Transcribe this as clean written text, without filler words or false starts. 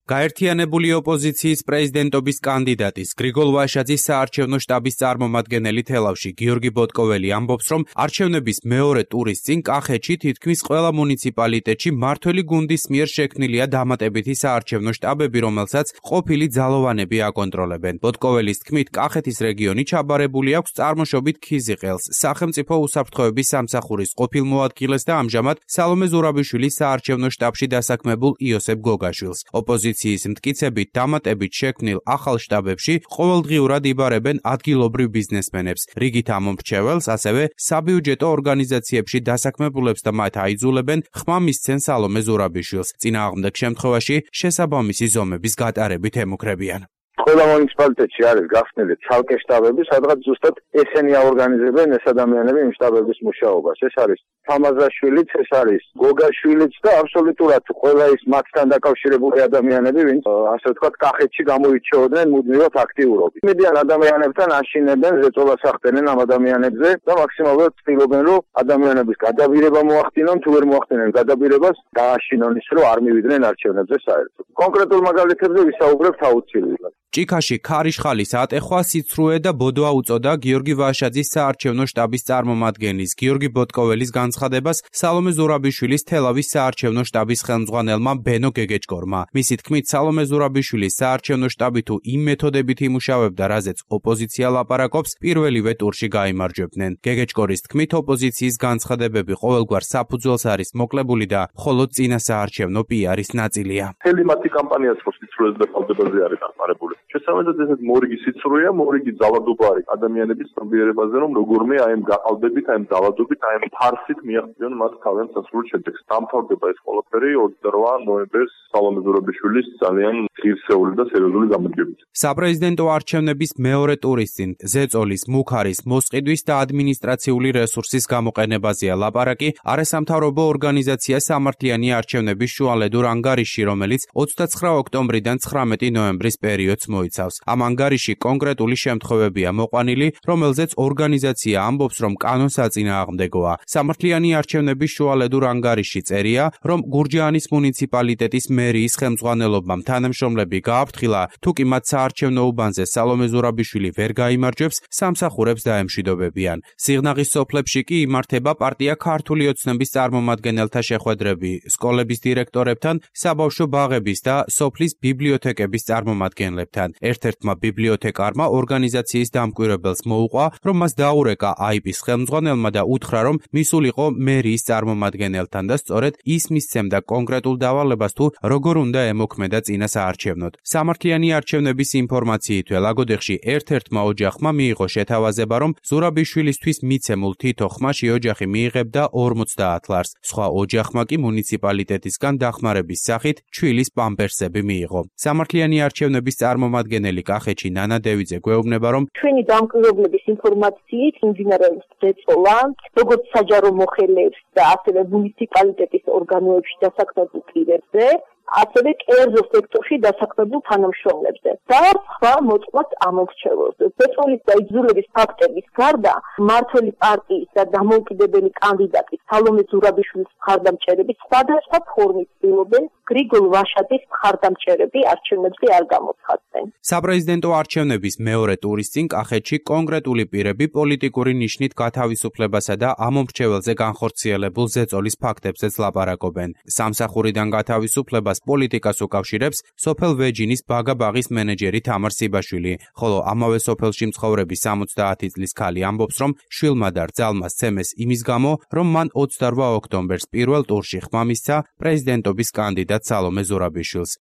გაერთიანებული ოპოზიციის პრეზიდენტობის კანდიდატის გრიგოლ ვაშაძის საარჩევნო შტაბის წარმომადგენელი თელავში გიორგი ბოტკოველი ამბობს, რომ არჩევნების მეორე ტურის წინ კახეთში თითქმის ყველა მუნიციპალიტეტში მმართველი გუნდის მიერ შექმნილია დამატებითი საარჩევნო შტაბები, რომელსაც ყოფილი ძალოვანები აკონტროლებენ. ბოტკოველის თქმით, კახეთის რეგიონი ჩაბარებული აქვს წარმოშობით ქიზიყელს, სახელმწიფო უსაფრთხოების სამსახურის ყოფილ მოადგილეს და ამჟამად სალომე ზურაბიშვილის საარჩევნო შტაბში დასაქმებულ იოსებ გოგაშვილს. ოპოზიციის მტკიცებით დამატებით შექმნილ ახალ შტაბებში ყოველდღიურად იბარებენ ადგილობრივ ბიზნესმენებს, რიგით ამომრჩეველს, ასევე საბიუჯეტო ორგანიზაციებში დასაქმებულებს და მათ აიძულებენ ხმა მისცენ სალომე ზურაბიშვილს. წინააღმდეგ შემთხვევაში შესაბამისი ზომების გატარებით ემუქრებიან. ყველა მუნიციპალიტეტში არის გახსნილი ცალკე შტაბები, სადღაც ზუსტად ესენი აორგანიზებენ ეს ადამიანები იმ შტაბების მუშაობას. ეს არის თამაზაშვილიც, ეს არის გოგაშვილიც და აბსოლუტურად ყველა ის მათთან დაკავშირებული ადამიანები, ვინც ასე ვთქვათ, კახეთში გამოირჩეოდნენ მუდმივად აქტიურობით. მედიან ადამიანებთან აშინებენ, ზეწოლას ახდენენ ამ ადამიანებზე და მაქსიმალურად ცდილობენ, რომ ადამიანების გადაბირება მოახდინონ, თუ ვერ მოახდინენ გადაბირებას, დააშინონ ის, რომ არ მივიდნენ არჩევნებზე საერთოდ. კონკრეტულ მაგალითებზე ვისაუბრებთ აუცილებლად. ჭიქაში ქარიშხალის ატეხვა სიცრუე და ბოდვა უწოდა გიორგი ვაშაძის საარჩევნო შტაბის წარმომადგენლის გიორგი ბოტკოველის განცხადებას სალომე ზურაბიშვილის თელავის საარჩევნო შტაბის ხელმძღვანელმა ბენო გეგეჭკორმა. მისი თქმით, სალომე ზურაბიშვილის საარჩევნო შტაბი თუ იმ მეთოდებით იმუშავებდა, რაზეც ოპოზიცია ლაპარაკობს, პირველივე ტურში გაიმარჯვებდნენ. გეგეჭკორის თქმით, ოპოზიციის განცხადებები ყოველგვარ საფუძველს არის მოკლებული და მხოლოდ წინა საარჩევნო პიარის ნაწილია. მთელი მათი კამპანია სიცრუეზე და ფალდებაზე არის დახმარებული. შესაბამისად ესეთ მორიგი სიცრუეა, მორიგი ძალადობა არის ადამიანების ცნობიერებაზე, რომ როგორმე აი ამ გაყალბებით, აი ამ ძალადობით, აი ამ ფარსით მიაღწიონ მათ თავიანთ სასურველ შედეგს. დამთავრდება ეს ყველაფერი 28 ნოემბერს სალომე ზურაბიშვილის ძალიან ღირსეული და სერიოზული გამარჯვებით. საპრეზიდენტო არჩევნების მეორე ტურის წინ ზეწოლის, მუქარის, მოსყიდვის და ადმინისტრაციული რესურსის გამოყენებაზეა ლაპარაკი არასამთავრობო ორგანიზაცია სამართლიანი არჩევნების შუალედურ ანგარიში, რომელიც 29 ოქტომბრიდან 19 ნოემბრის პერიოდს მოიცავს. ამ ანგარიში კონკრეტული შემთხვევებია მოყვანილი, რომელზეც ორგანიზაცია ამბობს, რომ კანონსაწინააღმდეგოა. სამართლიანი არჩევნების შუალედურ ანგარიში წერია, რომ გურჯაანის მუნიციპალიტეტის მერიის ხელმძღვანელობამ თანამშრომლები გააფრთხილა, თუ კი მათ საარჩევნო უბანზე სალომე ზურაბიშვილი ვერ გაიმარჯვებს, სამსახურებს დაემშვიდობებიან. სიღნაღის სოფლებში კი იმართება პარტია ქართული ოცნების წარმომადგენელთა შეხვედრები, სკოლების დირექტორებთან, საბავშვო ბაღების და სოფლის ბიბლიოთეკების წარმომადგენლებთან. ერთ-ერთმა ბიბლიოთეკარმა ორგანიზაციის დამკვირვებელს მოუყვა, რომ მას დაურეკა აიპის ხელმძღვანელმა და უთხრა, რომ მისულიყო მერიის წარმომადგენელთან და სწორედ ის მისცემდა კონკრეტულ დავალებას, თუ როგორ უნდა ემოქმედა წინა საარჩევნოდ. სამართლიანი არჩევნების ინფორმაციითვე ლაგოდეხში ერთ-ერთმა ოჯახმა მიიღო შეთავაზება, რომ ზურაბიშვილისთვის მიცემულ თითო ხმაში ოჯახი მიიღებდა 50 ლარს. სხვა ოჯახმა კი მუნიციპალიტეტისგან დახმარების სახით ჩვილის პამპერსები მიიღო. სამართლიანი არჩევნების წარმომადგენელი კახეთში ნანა დევიძე გვეუბნება, რომ ჩვენი დამკვირვებლების ინფორმაციით იმდინარეობს ზეწოლა, როგორც საჯარო მოხელეებს და ასევე მუნიციპალიტეტის ორგანოებში დასაქმებულ პირებზე, ასევე კერძო სექტორში დასაქმებულ თანამშრომლებზე და სხვა მოწყვეტ ამორჩეველზე. ზეწოლის და იზოლების ფაქტების გარდა, მმართველი პარტიის და დამოუკიდებელი კანდიდატის სალომე ზურაბიშვილის მხარდამჭერები სხვადასხვა ფორმით ცდილობენ გრიგოლ ვაშაძის მხარდამჭერები არჩევნებზე არ გამოცხადდნენ. საპრეზიდენტო არჩევნების მეორე ტურის წინ კახეთში კონკრეტული პირები პოლიტიკური ნიშნით გათავისუფლებასა და ამომრჩეველზე განხორციელებულ ზეწოლის ფაქტებზეც ლაპარაკობენ. სამსახურიდან გათავისუფლებას პოლიტიკას უკავშირებს სოფელ ვეჯინის ბაგაბაღის მენეჯერი თამარ სიბაშვილი, ხოლო ამავე სოფელში მცხოვრები 70 წლის ქალი ამბობს, რომ შვილმა და რძალმა სცემეს იმის გამო, რომ მან 28 ოქტომბერს პირველ ტურში ხმა მისცა პრეზიდენტობის კანდიდატ სალომე ზურაბიშვილს.